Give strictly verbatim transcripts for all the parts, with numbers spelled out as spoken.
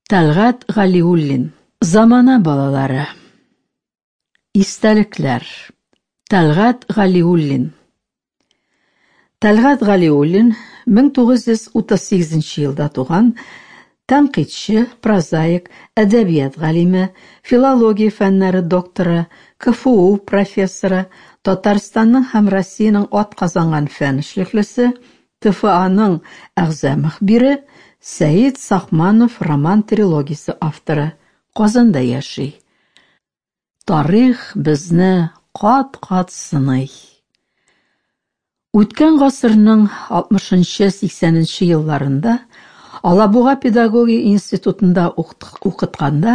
Тәлгать Галиуллин. Замана балалары. Истәлекләр. Тәлгать Галиуллин. Тәлгать Галиуллин мең тугыз йөз утыз сигезенче елда туган тәнкыйтьче, прозаик, әдәбият галиме, филология фәннәре докторы, КФУ профессоры, Татарстанның һәм Россиянең атказанган фән эшлеклесе, ТФАның әгъза мөхбире, Сәет Сахманов роман-трилогиясе авторы. Казанда яши. Тарих безне кат-кат сыный. Үткән гасырның алтмышынчы-сиксәненче елларында Алабуга педагогия институтында укытканда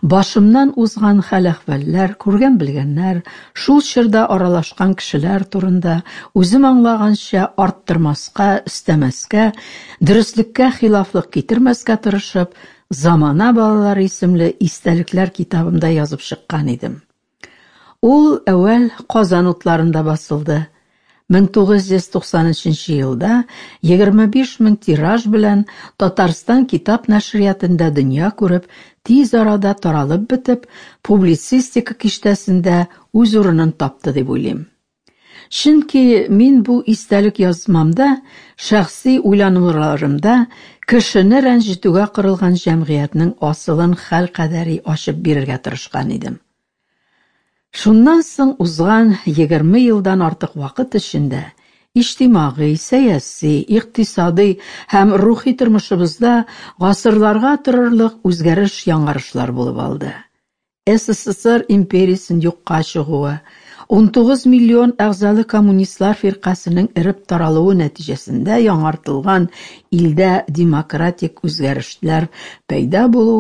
башымнан узган хәл-әхвәлләр, күргән-белгәннәр, шул чорда аралашкан кешеләр турында үзем аңлаганча арттырмаска, өстәмәскә, дөреслеккә хилафлык китермәскә тырышып, «Замана балалары» исемле истәлекләр китабымда язып чыккан идем. Ул әүвәл Казан утларында басылды. мең тугыз йөз туксан өченче елда егерме биш мең тираж белән Татарстан китап нәшриятында дөнья күреп, тиз арада таралып бетеп, публицистика киштәсендә үз урынын тапты дип уйлыйм. Чөнки мин бу истәлек язмамда, шәхси уйлануларымда кешене рәнҗетүгә корылган җәмгыятьнең асылын хәл кадәри ачып бирергә тырышкан идем. Шуннан соң узган егерме елдан артык вакыт эчендә иҗтимагый, сәяси, икътисадый һәм рухи тормышыбызда гасырларга торырлык үзгәреш-яңарышлар булып алды. СССР империясен юкка чыгуы, унтугыз миллион әгъзалы коммунистлар фиркасының эреп таралуы нәтиҗәсендә яңартылган илдә демократик үзгәрешләр пәйда булуы,